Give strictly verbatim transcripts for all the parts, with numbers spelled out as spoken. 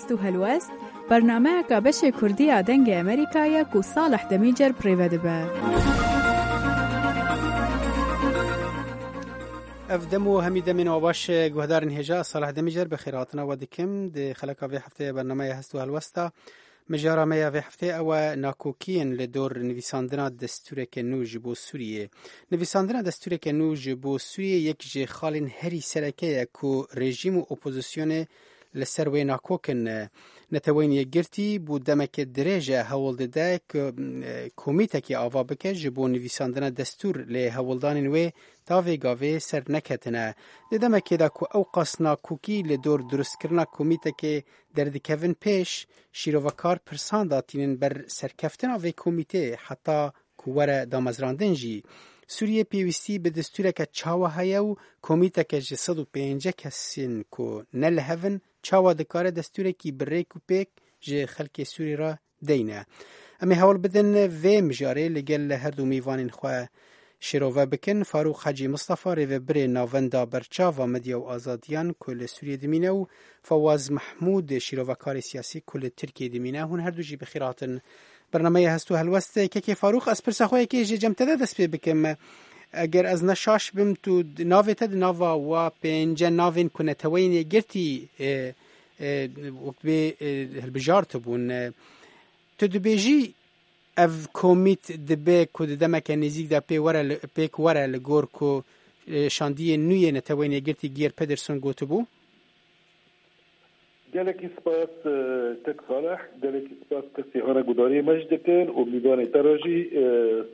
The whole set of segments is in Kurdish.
Tu helwest, bernameyeka beşê Kurdî ya Dengê Amerîka ye ku Salih Demîcer bi rê ve dibe. Ev dem û hemî demên we baş, guhdarên hêja, Salih Demîcer bi xêrhatina we dikim. Di xeleka vê hefteyê bernameya Hest û Helwesta, mijara me ya vê hefteyê ew e nakokiyên li dor nivîsandina destûreke nû ji bo Sûriyê. Nivîsandina destûreke nû ji bo Sûriyê yek ji xalên herî sereke ye ku rejîm û opozisyonê li ser wê nakok in. Neteweyên Yekgirtî bû demeke dirêj e hewl dide ku, e, komîtekê ava bike ji bo nivîsandina destûr, lê hewldanên wê ta vê gavê ser neketine. Di demekê de ku ew qas nakokî li dor durustkirina komîtekê derdikevin pêş, şîrovekar pirsan datînin ber serkeftina vê komîtê heta ku were damezrandin jî. Sûriye pêwîstî bi destûreke çawa heye û komîteke ji sed û pêncî kesên ku ne li hev in, çawa dikare destûrekî bi rêk û pêk ji xelkê Sûrî re deyne? Em ê hewl bidin vê mijarê li gel her du mêvanên xwe şêrove bikin. Farûq Hecî Mistefa, rêvebirê Navenda Berçava Medya û Azadiyan ku li Sûriyê dimîne, û Fawaz Mehmûd, şîrovekarê siyasî ku li Tirkiyê dimîne. Hûn her du jî bi xêr hatin bernameya Hest û Helwest. Kekê Farûq, ez pirsa xwe yekê ji cem te de dest pê bikim. Eger ez ne şaş bim, tu d-, navê te di nava wa pênce navên ku Neteweyên Yekgirtî, e, e, wek bê, e, hilbijartibûn. E, tu dibêjî ev komît dibe ku di demeke nêzîk de pê were li, pêk were li gor ku, e, şandiyê nû yê Neteweyên Yekgirtî Geir Pedersen gotibû? Gelekî spas, e, kek Salih, gelekî spas kesê hane gudariyê me jî dikin û mîvanê te re jî, e,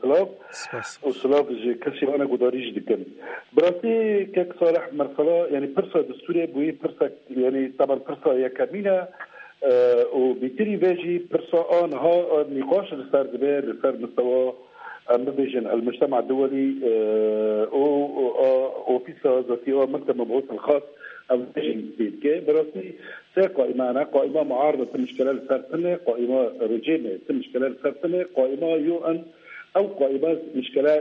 silav Spas. û silav ji kesê hane gudarî jî dikin. Bi rastî kek Salih, mesela, yani pirsa destûrê bûyî pirsa, yani taban pirsa yekemîn e, e, û bêtirî vê jî pirsa a niha, e, nîqaş li ser dibe, li ser mistewa, em bibêjin, el-mujtema duwelî, e, û, û a ofîsa zatî a Mekteb Mebûs el-Xas, ev jî pê dike. Bi rastî sê qaîme hene, qaîma muaride ti mişkele li ser tine, qaîma rejîmê ti mişkele li ser tine, qaîma U N, ew qaîme mişkele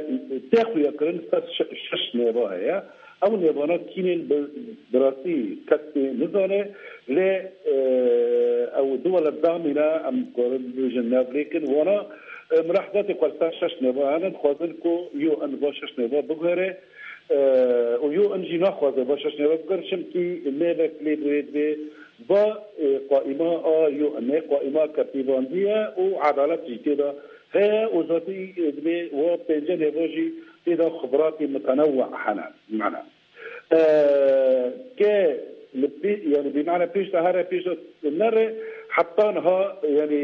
tê xuya kirin ser şe-, şeş nêva heye. Ew nêvana kînên bi, bi rastî kes pê nizane, lê, e, ew du welat damîne, em karin bibêjin navlêkin, wana, e, milahizatê xwe li ser şeş nêva hene, dixwazin ku U N va şeş nêva biguhere, e, û U N jî naxwaze va şeş nêva biguhere, çimkî nêvek lê bûyê divê va, e, qaîma a U N e, qaîma ke pêvandî ye û edalet jî tê de heye û zatî, e, divê wa pênce nêva jî tê de xibratê mutenewwe hene. Mana. E, ke li pê-, yani bi mana pêş de here, pêş de nere, heta niha, yani,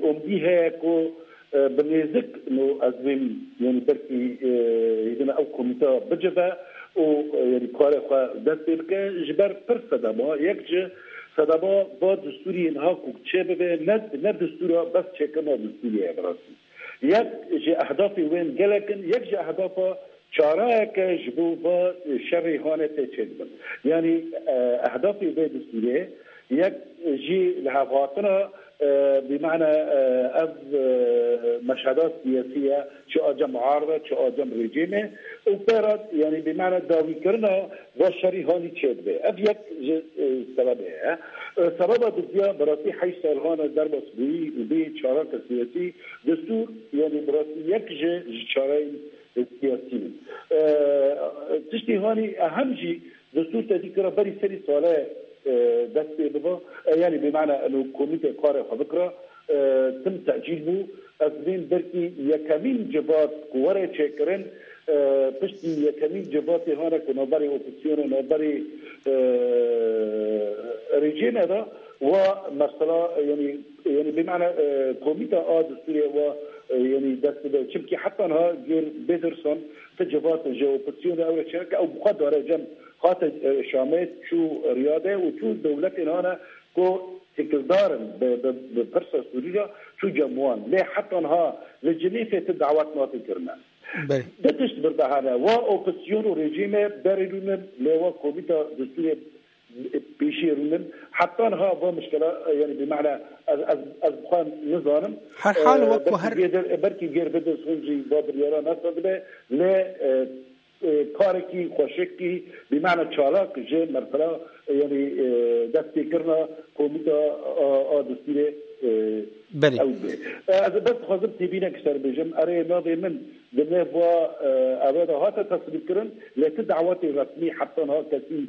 umdî heye ku, e, bi nêzik no ez vêm, yani, belkî, e, hêdîna ew komîta bicive û, e, yani, karê xwe dest pê bike. Ji ber pir sedema, yek ji sedema va destûrî niha ku çê bibe, ne, ne destûra, bes çêkirina destûrê ye bi rastî. Yek ji ehdafê wên gelek in, yek ji ehdafa çareyeke ji bo va şerê hane tê çêdibin. Yanî, e, ehdafê vê destûrê yek jî lihevhatina, e, bi mana, e, ev, e, meşheda siyasî ye, çi a cem muaride, çi a cem rejîmê û pera, yanî bi mana dawîkirina va şerî hanî çêdibe. Ev yek ji, e, sebebê ye. E, sebeba dudiya bi rastî heşt sal hane derbas bûyî û bê çareke siyasî destûr, yanî bi rastî yek ji, ji çareyên siyasî ne. E, tiştê hanî ehem jî destûr tedî kira berî serî sale, e, dest pê biba. E, yanî bi mana eno komîte karê xwe bikira, e, tim tecîl bû. Ez dibêm belkî yekemîn civat ku were çêkirin, e, piştî yekemîn civatê hane ku navberê opozîsyonê, navberê, e, rejîmê de wa mesela, yanî, yanî bi mana, e, komîta a destûrê wa, e, yanî dest bide. Çimkî heta niha Geir Pedersen ti civat ji opozîsyonê ew re çêke ew bi xwe dare cem hate, e, Şamê çû Riyadê û çû dewletên hane ku têkildar in bi, bi, bi pirsa Sûrî re çû cem wan. Lê heta niha li Cinîfê ti dawet nate kirine. Belê. Du tişt bir de hene. Wa opozîsyon û rejîmê berê rûnin, lê wa komîta destûrê pêşî rûnin. Heta niha va mişkela, yanî bi mana ez, ez, ez bi xwe nizanim. Her hal E, wek ku belkî her Geir, belkî Geir Pedersen jî va biryara nasa dibe, lê, e, e, karekî xweşikî, bi mana çalak ji merfela, e, yanî, e, destpêkirina komîta a, a destûrê, e, Belê. Ew be. E, ez bes dixwazim têbînek ser bêjim. Erê, navê min di nêva, e, eve de hate tesdîqkirin, lê ti dawetê resmî heta niha kesî,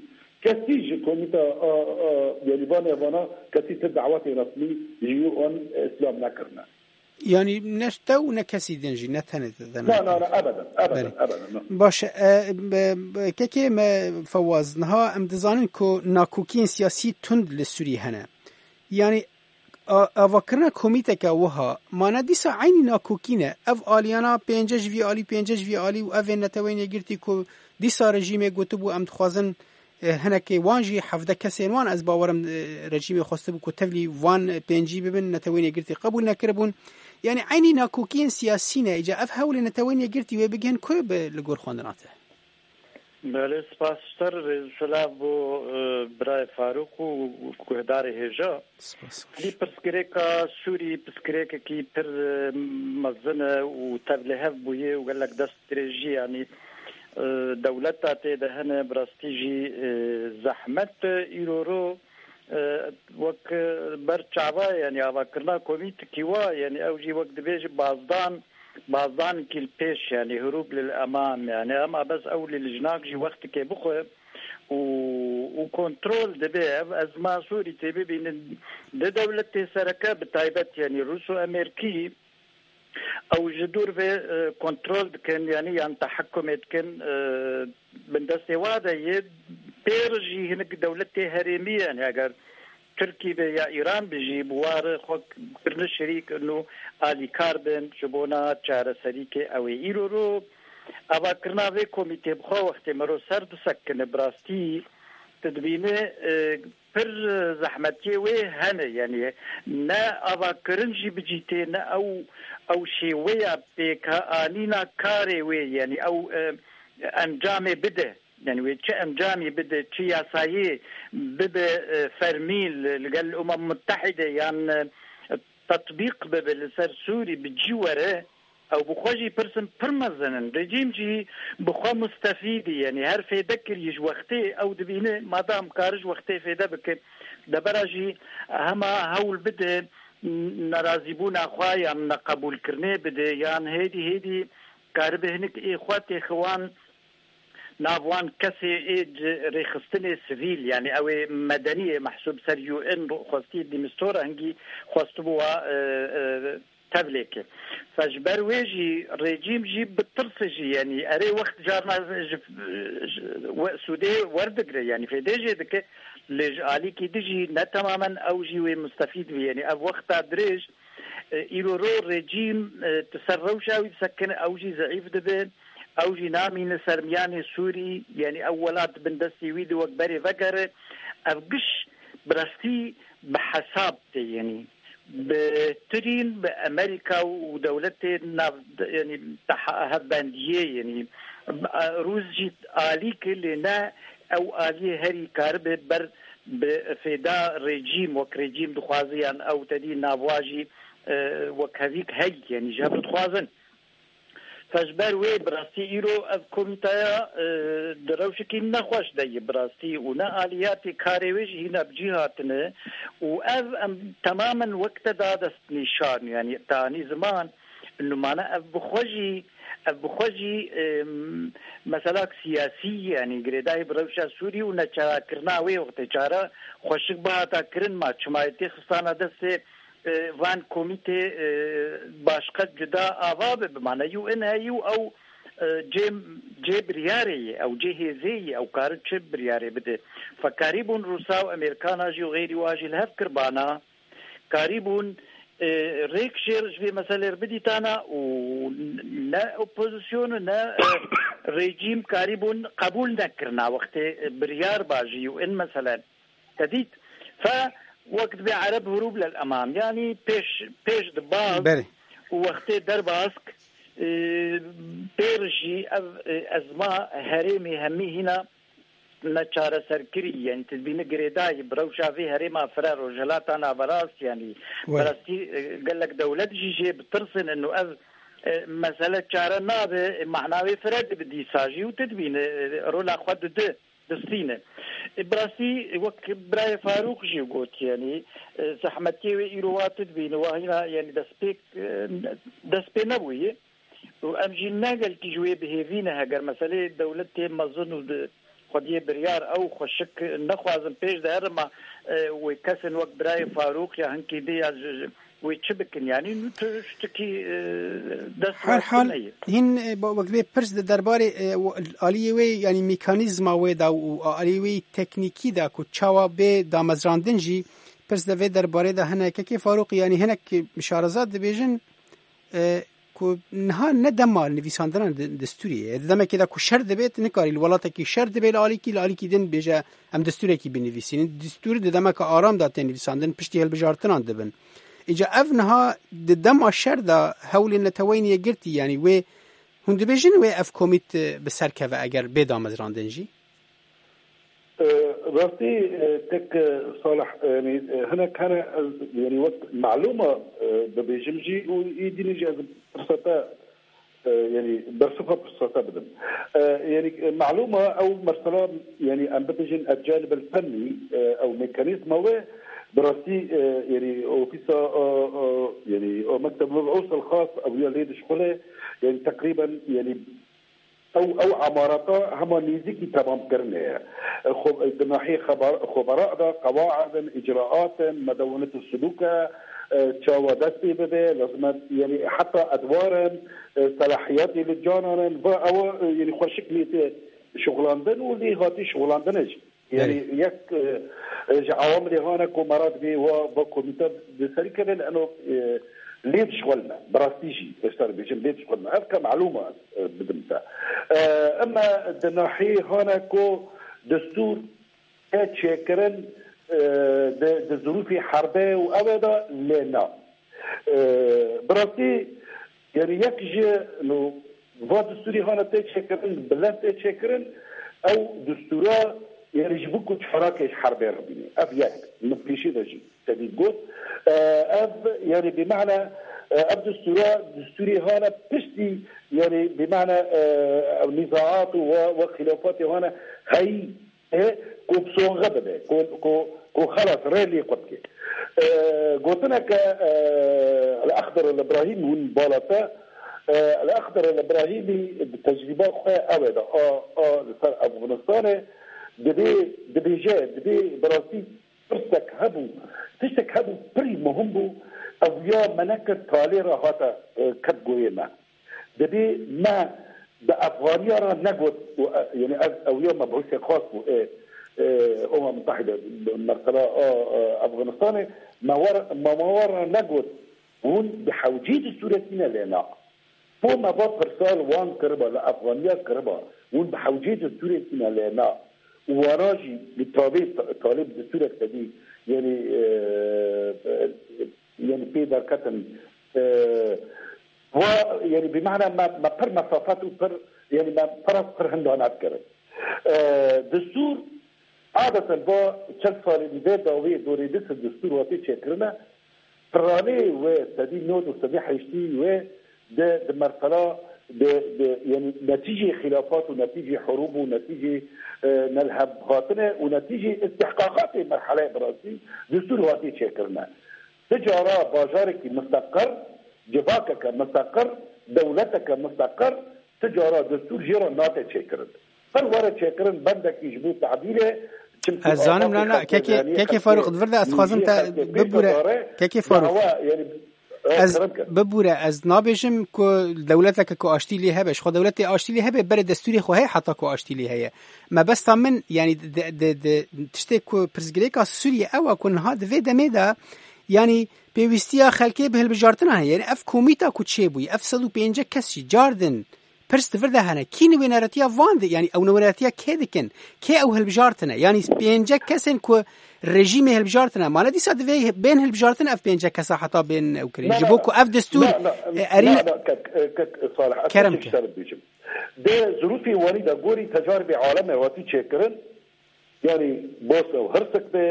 kesî ji komîta a, a, yanî van evana kesî ti dawetê resmî ji U N îslam nekirine. Yanî ne te û ne kesî din jî, ne tenê te de Na, na, nekirine. Na, ebeden, ebeden, Belê. Ebeden, na. Baş e, be, be, kekê me Fewaz, niha em dizanin ku nakokiyên siyasî tund li Sûriyê hene. Yanî a, avakirina komîteke wiha, mane dîsa eynî nakokî ne. Ev aliyana pênce ji vî alî, pênce ji vî alî û ev ên Neteweyên Yekgirtî ku dîsa rejîmê gotibû, em dixwazin, e, hinekê wan jî, hevdeh kesên wan, ez bawerim, e, rejîmê xwestibû ku tevlî van, e, pêncî bibin, Neteweyên Yekgirtî qebûl nekiribûn. Yanî eynî nakokiyên siyasî ne. Îca ev hewlê Neteweyên Yekgirtî wê bigihên ku bi li gor xwendina te? Belê, spas ji te re, rêz û silav bo, e, birayê Farûq û guhdarê hêja. Spas. Lî pirsgirêka Sûrî, pirsgirêkekî pir, e, mezin e û tevlihev bûye û gelek dest dirêjî, yanî, e, dewleta tê de hene, bi rastî jî, e, zehmet e. Îro ro, e, wek, e, ber çava, yanî avakirina komîtekî wa, yanî ew jî wek dibêje bazdan, bazdankî li pêş, yanî hurûb lil emam, yanî ema bes ew lê li jinak jî wextikê bixwe û, û kontrol dibe. Ev ezma Sûrî tê bibînin di dewletê sereke bi taybet, yanî Rûs û Amerîkî, ew ji dûr vê, e, kontrol dikin, yanî yan tehekkumê dikin, e, bindestê wa de yê pêr jî hinek dewletê herêmî, yanî eger Tirkî be ya Îran be jî bi wa re xwe kirine şerîk û alîkar bin ji bona çareserîkê ew ê. Îro ro avakirina vê komîtê bi xwe wextê mero ser disekine, bi rastî tu dibîne, e, pir zehmetiyê wê hene, yanî ne avakirin jî bi cî tê, ne ew, ew şêweya pêkanîna karê wê, yanî ew, e, encamê bide, yanî wê çi encamî bide, çi yasayê bibe, e, fermî li, li gel Umem Mutehîde yan, e, tetbîq bibe li ser Sûrî bi cî were, ew bi xwe jî pirsên pir mezin in. Rejîm jî bi xwe mustefîd e, yanî her fêde kirî ji wextê ew dibîne, madam kare ji wextê fêde bike, debera jî hema hewl bide nerazîbûna xwe yan neqebûlkirinê bide, yan hêdî hêdî karibe hinek ê xwe têxe wan, nav wan kesê ê ci rêxistinê sivîl, yanî ew ê medenî yê mehsûb ser U N xwestî Dîmistora hingî xwestibû wa, e, e, tevlêke. Fe ji ber wê jî rejîm jî bi tirsê jî, yanî erê wext carna ji, ji we sûdê werdigre, yanî fêdê jê dike, lê ji alîkî di jî ne temamen ew jî wê mustefîd bî. Yanî ev wexta dirêj, e, îro ro rejîm, e, tu ser rewşa wî disekine, ew jî zeîf dibe, ew jî namîne ser miyanê Sûrî, yanî ew welat bin destê wî de wek berê vegere, ev giş bi rastî bi hesab tê, yanî bi tirîn bi Amerîka û dewletê nav, yanî teha hevbendiyê, yanî, e, Rûs jî alî ke lê ne ew aliyê herî karibe ber bi fêda rejîm, wek rejîm dixwaze yan ew tedî navwa jî, e, wek hevîk heyî, yanî ji hev dixwazin. Fe ji ber wê bi rastî îro ev komîtaya, e, di rewşekî nexweş de ye bi rastî û ne aliyatê karê wê jî hîna bi cî hatine û ev em temamen wek te da destnîşan, yanî te anî ziman, numane ev bi xwe jî, ev bi xwe jî, e, meselak siyasî, yanî girêdayî bi rewşa Sûrî û neçarekirina wê wextê çare xweşik bihata kirin ma çima yê tê xistana destê e, van komîtê, e, başqe cuda ava be, bi mane U N heyî û ew, e, cê, cê biryarê ye, ew cê hêzê ye, ew karin çi biryarê bide. Fekarî bûn Rûsa û Amerîkana jî û xeyrî wa jî li hev kirbana, karî bûn, e, rêk jê ji vê meselê re bidîtana û ne opozîsyon û ne, e, rejîm karî bûn qebûl nekirina wextê, e, biryar ba ji U N meselen. Te dît? Fe wek dibê Ereb hurûb lel emam. Yanî pêş, pêş dibaz Belê. Û wextê derbas k-, e, pêr jî ev, e, ezma herêmê hemî hîna neçareserkirî. Yanî tu dibînî girêdayî bi rewşa vê herêma fire Rojhilata Naverast, yanî Wê. bi rastî, e, gelek dewlet jî jê bi tirsin û ev E, mesele çare nabe, e, mehna wê fire dibe dîsa jî û tu dibîne, e, rola xwe dide, distîne. E, bi rastî wek birayê Farûq jî got, yanî, e, zehmetiyê wê îro wa tu dibîne, wa hîna, yanî destpêk, e, dest pê nebûye. Û em jî ne gelkî ji wê bi hêvî ne, heger meseleyê dewletê mezin û di xwediyê biryar ew xweşik nexwazin pêş de herin, ma, e, wê kesên wek birayê Farûq ya hinkî dî ya ji, ji, wê çi bikin? Yanî nû tu ştikî, e, dest Her hal heye. Hîn, e, ba-, wek vê pirs di derbarê, e, w-, aliyê wê, yanî mekanîzma wê de û aliyê wê teknîkî de ku çawa bê damezrandin jî pirs de vê derbarê de hene. Kekê Farûq, yanî hinek şareza dibêjin, e, ku niha ne dema nivîsandina di-, destûrê ye. Di demekê de ku şer dibêt, nikarî li welatekî şer dibê li alîkî, li alîkî din bêje, "Em destûrekî binivîsînin." Destûr di demeke aram de tê nivîsandin, piştî hilbijartinan dibin. Îca ev niha di dema şer de hewlên Neteweyên Yekgirtî, yanî wê, hûn dibêjin wê ev komît, e, bi ser keve eger bê damezrandin jî? E, rastî, e, tek, e, Salih, e, yanî, e, hinek hene ez, yanî wek malûma, e, bibêjim jî û îdînî jî ez firsete, e, yanî bersiva firsete bidim. E, yanî, e, malûma ew mesela, yanî em bibêjin el-canib el-fennî, e, ew mekanîzma wê bi rastî, e, yanî ofîsa, e, e, yanî o mekteb meb'ûs el-xas ew ya lê dişxule, yanî teqrîben, yanî Ew, ew emarata hema nêzîkî temamkirinê ye. Xwe, di nahiyê xeber-, xwebera de qewaid in, îcraat in, medewenet sulûk e, e, çawa dest pê bibe, lazim e, yanî heta edwar in, e, selahiyetê li canan in, va ew, e, yanî xweşik nê tê şixulandin û lê hatî şixulandin jî. Yanî Belê. yek, e, e, ji awamilê hane ku me re dibê wa, va komîte bi serî keve li eno, e, lê dişxulme. Bi rastî jî, ez te dibêjim, lê dişxulme. Ev ke malûm e, e, bidim te. E, ema di nahiyê hane ku destûr tê çêkirin, e, di, di zirûfê herbe û ew ê de lê na. E, bi rastî, yanî yek ji, no, va destûrî hane tê çêkirin, bilind tê çêkirin, ew destûra, yanî ji bo ku çalakê ji herbê re bîne. Ev yek, min pêşî de jî tevî got. E, ev, yanî bi mehna, e, ev destûra, destûrî hane piştî, yanî bi mehna, e, ev nîzaat û we, we xîlafatê hane heyî, e, ku bi sonxe bibe, ku, ku, ku xelas rê lê xwe bike. E, gotineke, e, El-Exder El-Ibrahîm hûn bala te, e, El-Exder El-Ibrahîmî bi tecrîba xwe ew ê de, a, a li ser Efxanistanê dibê, dibêje, dibê bi rastî pirsek hebû, tiştek hebû pirî muhim bû, ev ya me nekir talê re hate, e, ket goyê me. Dibê me bi Efxaniya re negot, û, e, yanî ev, ew ya mebûsê xas bû, ê, ê, Umem Mutehîde, mesela, a, a, Efxanistanê, me wer, me, me wer re negot, hûn bi hewcî destûrekî ne lê na. Po me va pirsa li wan kiriba, li Efxaniya kiriba, hûn bi hewcî destûrekî ne lê na. Û wana jî li tabê, talê bi destûrek tevî, yanî, e, e, yanî pê derketin. E, va, yanî bi mehna me, me pir mesafet û pir, yanî me pir, pir hinda nedikirin. E, destûr, adeten va çend salên vê dawê dorê dîsa destûr hatî çêkirine, piranê wê sedî nod û sedî heştî wê di, di merhala, di, di, yanî netîcê xîlafat û netîcê hurûb û netîcê, e, nelhev hatine û netîcê istihqaqatê merheleyê bi rastî destûr hatî çêkirine. Ti cara bajarekî misteqir, civakeke misteqir, dewleteke misteqir, ti cara destûr jê re nate çêkirin. Qir were çêkirin bendekî ji bo tedîlê, çimkî Ez zanim, na, na, kekê, kekê Farûq, di vir de ez dixwazim te bibûre, kekê Farûq. Ez bibûre, ez nabêjim ku dewleteke ku aştî lê hebe, ji xwe dewletê aştî lê hebe, berê destûrê xwe heye heta ku aştî lê heye. Mebesta min, yanî di, di, di, tiştê ku pirsgirêka Sûriyê ew e ku niha di vê demê de, yanî pêwîstiya xelkê bi hilbijartina heye. Yanî ev komîta ku çêbûyî, ev sed û pêncî kes jî car din pirs di vir de hene. Kî nûneratiya van di, yanî ew nûneratiya kê dikin? Kê ew hilbijartine? Yanî pêncî kesên ku rejîmê hilbijartine. Mane dîsa divê bên hilbijartin ev pêncî kesa heta bên ew kirin. Ji bo ku ev destûr, e, erî ne, ne, kek, e, kek, Salih, ez kerem ke. Şer bêjim. Di zirûfê warî de gorî tecaribê alemê hatî çêkirin, Yanî Bosna û Hirsik be,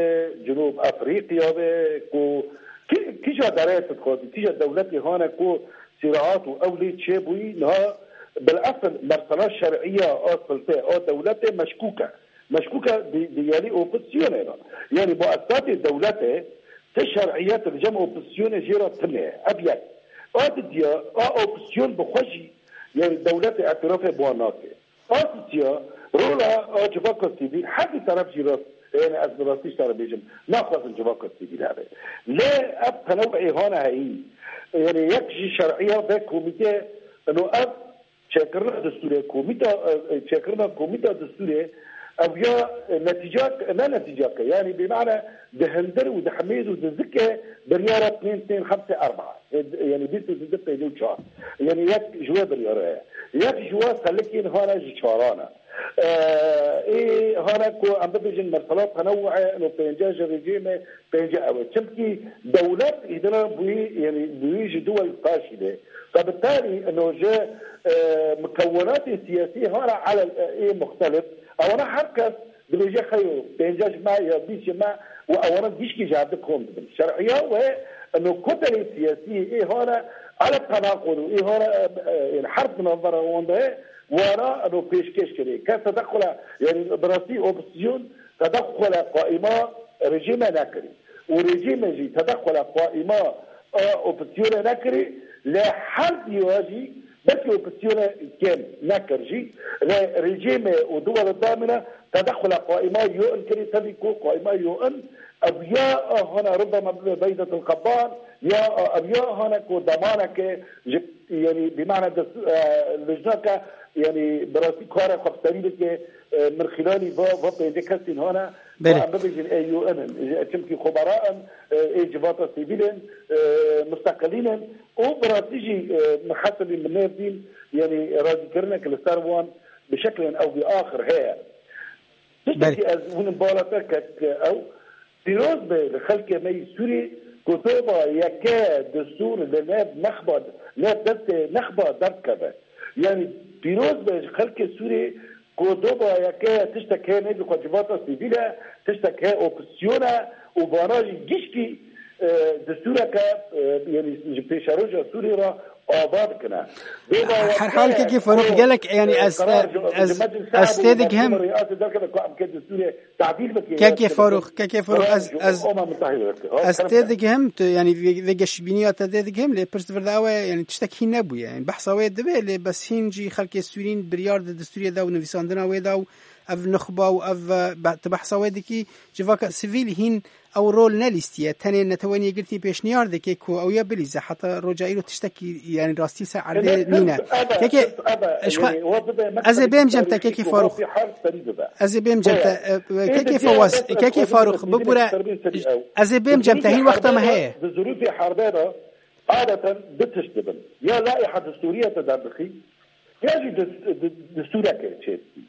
Cinûb Efrîqya be, ku kî-, kîja derê tu dixwazî, kîja dewletê hane ku sîraat û ew lê çêbûyî, niha bilesil mersela şer'iya a sultê a dewletê meşkûk e. Meşkûk e di, di yelî opozîsyonê de. Yanî muesesatê dewletê ti şer'iyet li cem opozîsyonê jê re tune ye. Ev yek. A didiya, a opozîsyon bi xwe jî, yanî dewletê etirafê bi wan nake. A sisiya, rola a civaka sivîl, her du teref jî rast, yanî ez bi rastî ji te re bêjim, naxwazin civaka sivîl hebe. Lê ev tenewu'ê hane heyî. Yanî yek jî şer'iya vê komîtê, ino ev çêkirina destûrê, komîta, e, çêkirina komîta destûrê, ev ya, e, netîcak, ne netîcak e. Yanî bi mane di hindir û di hemêd û di zikê biryara pênc, pênc, heft, erba. E, d-, yanî bîst û du, pêncî û çar. Yanî yek ji wê biryara ye. Yek ji wa selikên hane ji çaran e. E, ê hane ku em bibêjin mesela tenewu'ê, ino pênce ji rejîmê, pênce ew e. Çimkî dewlet îdina bûyî, yanî bûyî ji duwel taşî de. Fe bi tarî ino ji, e, mukewwenatê siyasî hane ele, e, ê muxtelif. Ewana her kes dibêje xeyo, pênce ji me ya bîst ji me û ewana gişkî ji hev di kom dibin. Şer'iya we ino kotelê siyasî ê hane ele tenaqud û ê hane, e, e, yanî herb di navbera wan de ye, wana ino pêşkêş kirê. Kes tedexula, yanî bi rastî opozîsyon tedexula qaîma rejîme nekirî. Û rejîme jî tedexula qaîma, e, opozîsyonê nekirî, lê her diya jî belkî opozîsyonê kêm nekir jî, lê rejîmê û duwelê damîne tedexula qaîma U N kirî, tevî ku qaîma U N ev ya hane ribama bibe Beydetul Qebban, ya ev ya hane ku demaneke ji, yanî bi mane dest, e, lijneke, yanî bi rastî karê xwe bi serî bike, e, mirxîlanî va, va pêncî kesîn hane, Belê. Em bibêjin ê U N in, çimkî xwebera in, ê civata sivîl in, e, musteqilîn in û bi rastî jî, e, min hesibî min nêv dîn, yanî razîkirinek li ser wan bi şeklên ew bi axir heye. Tiştekî Belê. Ez hûn bala te kek ew, pîroz be li xelkê me yî Sûrî ku toba yeke destûr li nêv nexba, nêv destê nexba derdikeve. Yanî pîroz be ji xelkê Sûrî ku doba yeke tiştek heye nêzî xwe civata sivîl e, tiştek heye opozîsyon e û vana jî giştî, e, destûreke, e, yanî ji pêşeroja Sûriyê re ava dikine. Doba Her hal kekê Farûq gelek, yanî e, ez, karar ji, ez, ji meclisa ez û tê digihim. Mahkûma riyasê derkeve ku em ke destûrê tadîl bike. Kekê Farûq, kekê Farûq, ez, ez, ez tê digihim, tu, yanî vê, vê geşbîniya te tê digihim, lê pirs vir de ew e, yanî tiştek hîn nebûye. Yanî behsa wê dibe, lê bes hîn jî xelkê Sûrîn biryar di destûrê de û nivîsandina wê de û ev nuxba û ev, e, be-, tu behsa wê dikî, civaka sivîl hîn ew rol nelîstiye. Tenê Netewên Yekgirtî pêşniyar dike ku ew ya bilîze. Heta roja îro tiştekî, yanî rastî ser erdê nîne. Kekê, ji xwe, ez ê bêm cem te, kekê Farûq. Ez ê bêm cem te, e, kekê Fawaz, kekê Farûq, bibûre, ez ê bêm cem te, hîn wexta me heye. Di zirûfê herbê de adeten du tişt dibin. Ya laîha destûriye te derdixî, ya jî dis-, di-, destûreke çêdikî.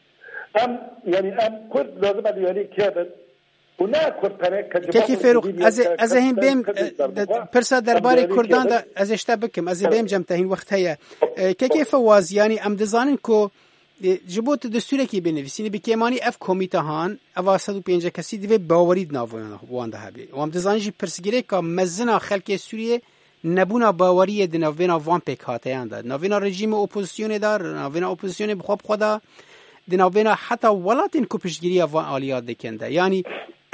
Em, yanî em Kurd lazim e diyarî kê bin û ne Kurd tenê ke Kekî Ferûq, ez ê, ez ê hîn bêm, e, pirsa derbarê Kurdan de ez ê ji te bikim. Ez ê bêm cem te, hîn wext heye. E, Kekê Fewaz, yanî em dizanin ku, e, ji bo tu destûrekî binivîsînî, bi kêmanî ev komîte han, eva sed û pêncî kesî divê bawerî di nav wan de hebe. Û em dizanin jî pirsgirêka mezin a xelkê Sûriyê nebûna baweriyê di navbêna van pêkhateyan de, di navbêna rejîmê opozîsyonê de, di navbêna opozîsyonê bi xwe bi xwe de, di navbêna heta welatên ku piştgiriya van aliya dikin de. Yanî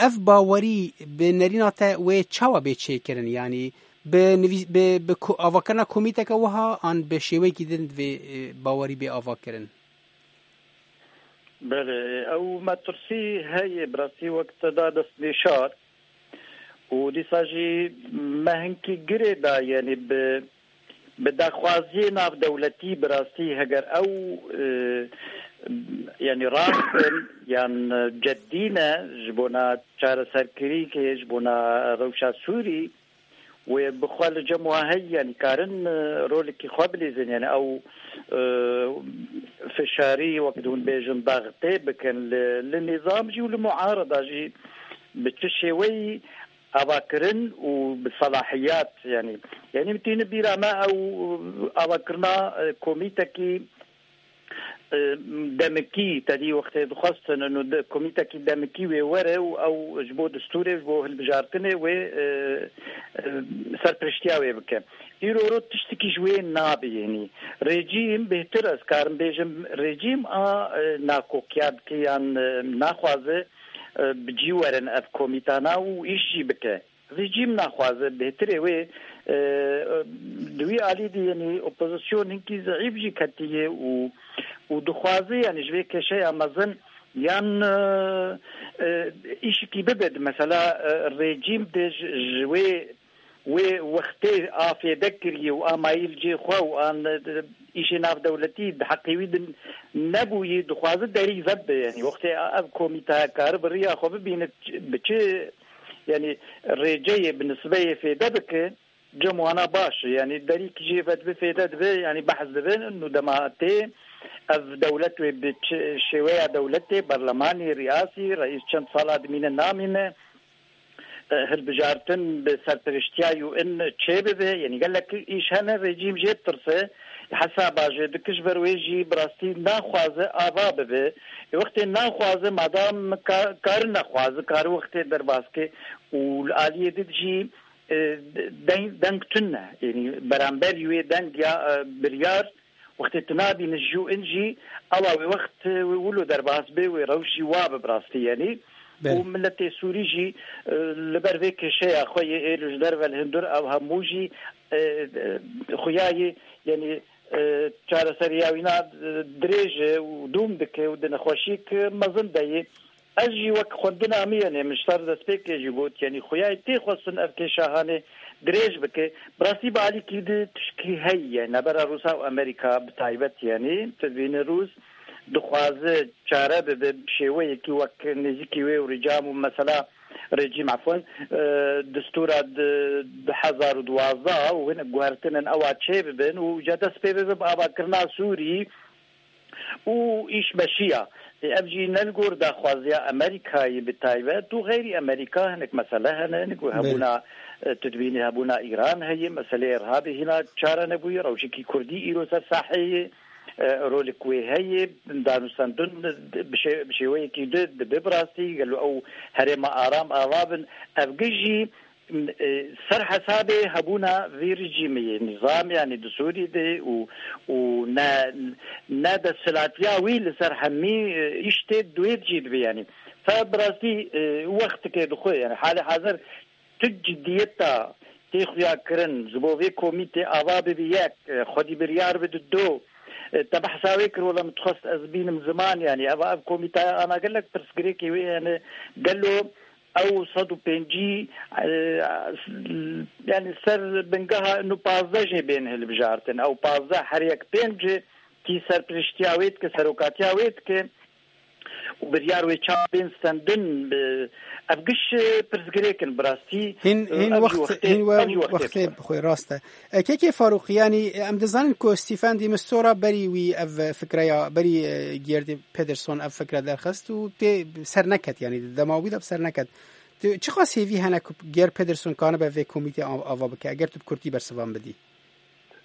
ev bawerî bi nerîna te wê çawa bê çêkirin? Yanî bi nivîs-, bi, bi ko-, avakirina komîteke wiha an bi şêweyekî din divê, e, bawerî bê avakirin? Belê, ew metirsî heye, bi rastî wek te da destnîşar. Û dîsa jî me hinkî girê da, yanî bi, bi daxwaziyê navdewletî bi rastî heger ew, e, yanî rast in yan ceddî ne ji bona çareserkirîkê, ji bona rewşa Sûrî, wê bi xwe li cem wa heyî, yanî karin, e, rolekî xwe bilîzin, yanî ew, e, fişarî, wek di hûn bêjin, daxtê bikin li, li nîzam jî û li muarada jî bi çi şêweyî avakirin û bi selahiyat, yanî, yanî min tîne bîra me ew avakirina, e, komîtekî e, demikî, tedî wextê dixwestin û de, komîtekî demikî wê were û ew ji bo distûrê, ji bo hilbijartinê wê, e, e, serpiriştiya wê bike. Îro ro tiştekî ji wê nabê, yanî rejîm bêhtir, ez karim bêjim, rejîm a, e, nakokiya dike yan, e, naxwaze, e, bi cî werin ev komîtana û îş jî bike. Rejîm naxwaze, bêhtirê wê, e, di wî alî de, yanî opozîsyon hinkî zeîf jî ketiye û, û dixwaze, yanî ji vê kêşeya mezin yan, e, e, îşikî bibe. Mesela, e, rejîm de ji, ji wê, wê wextê a fêde kiriye û a mayî li cê xwe û an, e, îşê navdewletî di heqê wî de nebûyî, dixwaze derî vebe. Yanî wextê ev komîte karibe riya xwe bibîne bi çi, yanî rêceyê bi nisbeyê fêde bike, cem wana baş e. Yanî derî ki jê ve dibe fêde dibe, yanî behs dibe, nû dema tê ev dewlet wê bi çi şêweya dewletê, berlemanî, riyasî, reîs çend sala dimîne namîne, e, hilbijartin bi serpiriştiya U N çêbibe. Yanî gelek îş hene, rejîm jê ditirse, hesaba jê dike, ji ber wê jî bi rastî naxwaze ava bibe. Ê, wextê naxwaze, madam ka-, kari nexwaze, kari wextê derbas ke û li aliyê din jî, e, deng, deng tune. Yanî beramberî wê deng ya, e, biryar, wextê tu nabîne ji U N jî, ewa wê wext, e, wê wilo derbas bê, wê rewş jî wa bi bi rastî, yanî. Belê. Û miletê Sûrî jî, e, li ber vê kêşeya xwe yê êlo ji derve li hundir ew hemû jî, e, e, xuya yê, yanî, e, çareseriya wîna, e, dirêj e û dûm dike û di nexweşîk mezin de yê. Ez jî wek xwendina min, yanî min ji ser destpêkê jî got, yanî xuyayê tê xwestin ev kêşa hanê dirêj bike. Bi rastî bi alîkî di tişkî heye, navbera Rûsa û Amerîka bi taybet, yanî tu dibînî Rûs dixwaze çare bibe bi şêweyekî wek nêzîkî wê û rîcam û mesela rejîm, efwen, e, distûra di du hezar û duwazdeh û hin guhertinên ewa çê bibin û ca dest pê bibe bi avakirina Sûrî û îş meşiya. Ê, ev jî ne li gor daxwaziya Amerîkayê bi taybet û xeyrî Amerîka hinek mesele hene, hinek Belê. hebûna, e, tu dibînî hebûna Îran heye, meseleyê Irhabê hîna çare nebûye, rewşekî Kurdî îro ser saheyê, e, rolek wê heye, danûstendin bi şê-, bi şêweyekî di, dibe bi rastî, gelo ew herêma aram ava bin, ev giş jî e, ser hesabê hebûna vî rejîmê yê nîzam, yanî di Sûrî de û, û ne, ne desthilatiya wî li ser hemî, e, îş tê duê jî dibe, yanî. Fe bi rastî, e, wextikê dixwe, yanî halê hazir tu cidiyeta tê xuya kirin, ji bo vê komîtê ava bibe yek, e, xwedî biryar bide du, e, te behsa wê kir, wela min dixwest ez bînim ziman, yanî eva ev komîtaya ana gelek pirsgirêkê wê hene, gelo ew sed û pêncî, e, yanî ser bingeha inu pazdeh jê bên hilbijartin. Ew pazdeh her yek pênc kî serpiriştiya wê dike, serokatiya wê dike û biryar wê çawa bên stendin, e, ev giş, e, pirsgirêk in bi rastî. Hîn, e, hîn ev jî wext, wextê, hîn we ev jî wextê wextê bixwe. Bixwe, rast e. E, Kekê Farûqî, yanî, e, em dizanin ku Stephen de Mistura berî wî ev, e, fikreya, berî, e, Gerd Pedersen ev fikre derxist û tê ser neket, yanî di dema wî de bi ser neket. Tu çiqas hêvî hene ku Gerd Pedersen kanibe vê komîtê av-, ava bike, eger tu bi kurtî bersivan bidî?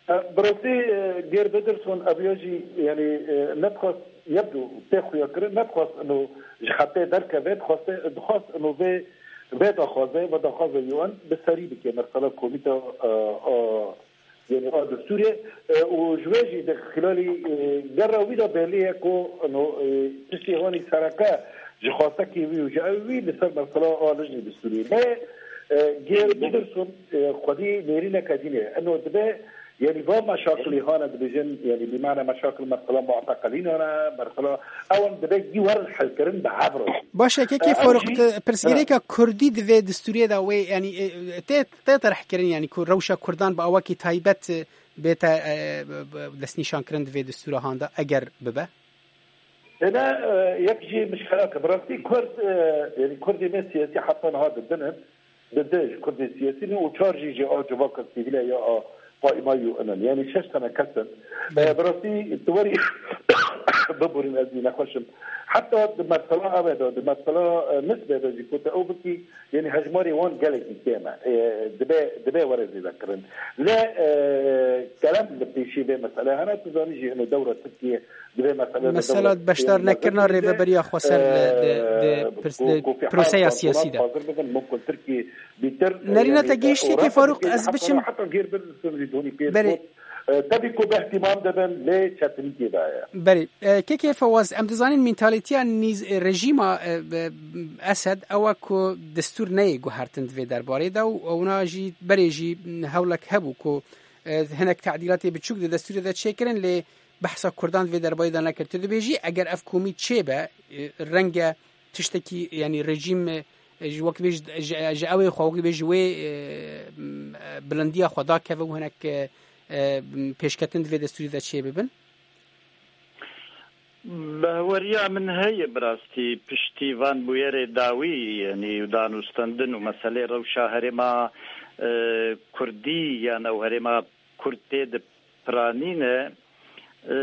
E, bi rastî, e, Gerd Pedersen ev ya jî, yanî, e, nedixwest, yebdû tê xuya kirin, nedixwest ino ji xetê derkeve, dixwest, dixwest ino vê, vê daxwaze, vê daxwaze U N bi serî bike, mesela komîta, e, a, Yanî a destûrê, e, û ji wê jî di xilalî, e, gera wî de belî ye ku, no, e, tiştê hanî sereke ji xwastekî wî û ji ew wî li ser mesela a lijnê destûrê. Lê, e, Gêr Pedersen, e, xwedî nêrîneke dîn e. Eno dibe, yanî va meşakilî hane dibêjin, yanî bi mane meşakil mesela muteqelînan e, mesela ew em dibe gî werin helkirin bi hev re. Baş e, Kekê Farûq, pirsgirêka Kurdî di vê destûrê de wê, yanî, e, tê, tê terhkirin, yanî ku rewşa Kurdan bi awakî taybet, e, bête, e, b-, b-, destnîşankirin di vê destûra han de, eger bibe? Êne, e, yek jî mişkelak e. Bi rastî Kurd, e, yanî Kurdê me siyasî heta niha di din in. Di di ji Kurdên siyasî ne û çar jî ji a civaka sivîl e ya a qaîma U N in. Yanî şeş tane kes in. Belê. E, bi rastî tu werî Biborîn, ez jî nexweş im. Heta di mesela eve de, di mesela, e, nisbê de jî ku te ew bikî, yanî hejmarê wan gelekî kêm e. E, dibe, dibe were zêde kirin. Lê, e, kerem li pêşî vê mesele hene, tu zanî jî ino dewra Tirkiye di vê mesele de Mesela dewra beşdar Tirkiye nekirina mezin rêveberiya xweser li, di, di, e, pirs-, ku, di ku fîal proseya kantonan siyasî de. Hazir bibin, mumkin Tirkiye bîtir, Nerîna yanî, te e, gihîşt kekê ora Farûq, ez heta biçim. Heta gêr bir sirrî donî pê Berê. Bot. E, tabii ku bi ihtimam dibin, lê çetinî tê de ye. Berê, e, kekê Fewaz, em dizanin mentalîtiya nîz-, e, rejîma, e, e, Esed ew e ku destûr neyê guhertin di vê derbarê de û ewna jî berê jî hewlek hebû ku, e, hinek tedîlatê biçûk di destûrê de çêkirin, lê behsa Kurdan di vê derbarê de nekir. Tu dibêjî eger ev komî çêbe, e, renge tiştekî, yanî rejîm, e, ji wek bêj, ji, ji ew ê xwe wek bêj ji wê, e, m, e, bilindiya xwe dakeve û hinek, e, e, pêşketin di vê destûrê de çê bibin? Behweriya min heye bi rastî piştî van bûyerê dawî, yanî û danûstendin û meselê rewşa herêma, e, Kurdî yan ew herêma Kurd tê de piranîne, e,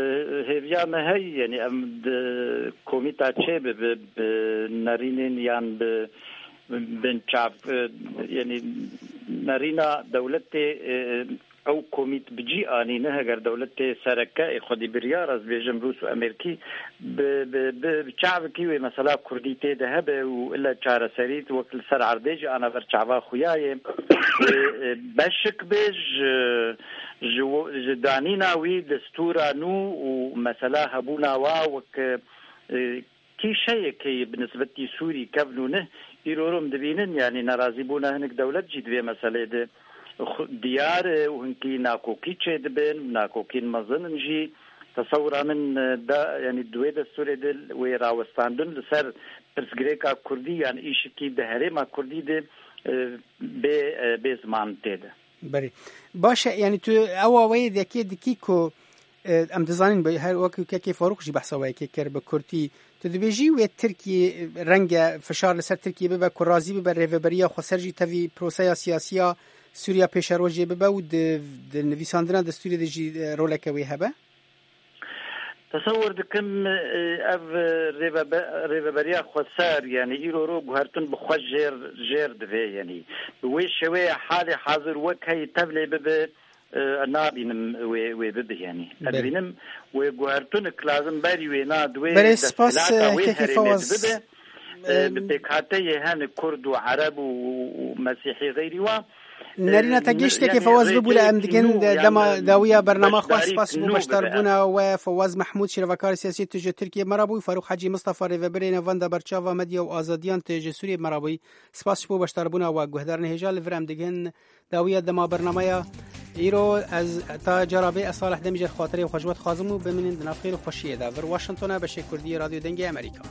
hêviya me heye, yanî em di komîta çê bibe, bi nerînên yan bi binçav, e, yanî nerîna dewletê, e, ew komît bi cî anîne, heger dewletê sereke ê xwedî biryar, ez bêjim Rûs û Amerîkî, bi, bi, bi, bi çavekî wê mesela Kurdî tê de hebe û ile çareserî wek li ser erdê jî ana ber çava xuya yê. Wê, e, beşik be ji, ji wo-, ji danîna wî destûra nû û mesela hebûna wa wek, e, kîşeyekê bi nisbetî Sûrî kevn û nih, îro rom dibînin, yanî nerazîbûna hinek dewlet jî di vê meselê de xu-, diyar e û hinkî nakokî çêdibin, nakokîn mezin in jî. Tesewira min, e, da, yanî di wê destûrê de wê rawestandin li ser pirsgirêka Kurdî yan îşikî di herêma Kurdî de, e, bê, e, bê ziman tê de. Berê. Baş e, yanî tu ew awayê dekê dikî ku, e, em dizanin, bi-, her wekî kekê Farûq jî behsa wê yekê kir bi kurtî. Tu dibêjî wê Tirkiyê, e, renge fişar li ser Tirkiyê bibe ku razî bibe rêveberiya xweser jî tevî proseya siyasiya Sûriya pêşerojê bibe û di, di nivîsandina destûrê de jî, e, roleke wê hebe? Tesewir dikim, e, ev rêvebe-, rêveberiya xweser, yanî îro ro guhertin bi xwe jêr, jêr divê, yanî bi wê şêweyê halê hazir wek heyî tevlê bibe, e, nabînim wê, wê bibe, yanî. Ez Belê. dibînim wê guhertinik lazim berî wê na di wê Belê, spas, desthilata e, wê kekê herêmê Fawaz. dibibe, e, bi Em, pêkhateyê hene Kurd û Ereb û, û Mesîhî xeyrî wa. Nerîna te Em, giştekê yanî Fawaz bibûre, rêkê em digin nû de yan dema dawiya bernama xwe beşdarî spas bû nû bibe. beşdarbûna we Fawaz Mehmûd, şîrevekar siyasî tu ji Tirkiyê me re bûyî, Farûq Hecî Mistefa rêvebirê navenda berçava medya û azadiyan tu ji Sûriyê me re bûyî. Spas ji bo beşdarbûna we. Guhdarên hêja li vir em digin dawiya dema bernameya îro. Ez ta cara bê ez Salih Demî ji xatirê xwe ji we dixwazim û bimînin di nav xêr û xweşiyê de. Vir Washington e, beşê Kurdî yê Radyo Dengê Amerîka.